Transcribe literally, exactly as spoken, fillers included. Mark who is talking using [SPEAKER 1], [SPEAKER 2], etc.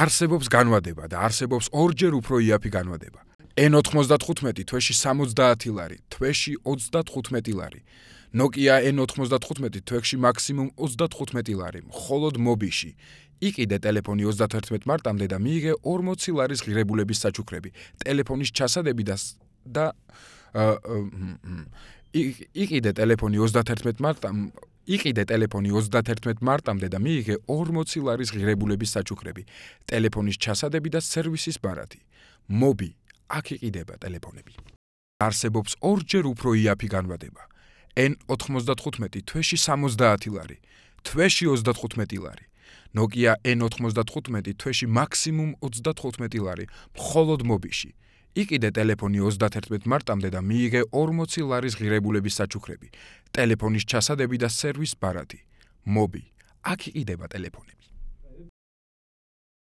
[SPEAKER 1] არსებობს განვადება და არსებობს ორჯერ უფრო იაფი განვადება. ენ ოთხმოცდათხუთმეტი თვეში სამოცდაათი ლარი, თვეში ოცდათხუთმეტი ლარი. Nokia ენ ოთხმოცდათხუთმეტი თვეში მაქსიმუმ ოცდათხუთმეტი ლარი, მხოლოდ მობიში. იყიდე ტელეფონი ოცდათერთმეტ მარტამდე და მიიღე ორმოცი ლარის ღირებულების საჩუქრები. ტელეფონის ჩასადები და და იყიდე ტელეფონი ოცდათერთმეტ მარტამდე იყიდე ტელეფონი ოცდათერთმეტ მარტამდე და მიიღე ორმოცი ლარის ღირებულების საჩუქრები. ტელეფონის ჩასადები და სერვისის ბარათი. Mobi, აქ იყიდება ტელეფონები. არსებობს ორჯერ უფრო იაფი განვადება. ენ ოთხმოცდათხუთმეტი თვეში სამოცდაათი ლარი, თვეში ოცდათხუთმეტი ლარი. Nokia ენ ოთხმოცდათხუთმეტი თვეში მაქსიმუმ ოცდათხუთმეტი ლარი, მხოლოდ მობიში. იყიდე ტელეფონი ოცდათერთმეტ მარტამდე და მიიღე ორმოცი ლარის ღირებულების საჩუქრები. ტელეფონის ჩასადები და სერვის ბარათი. Mobi, აქ იყიდება ტელეფონები.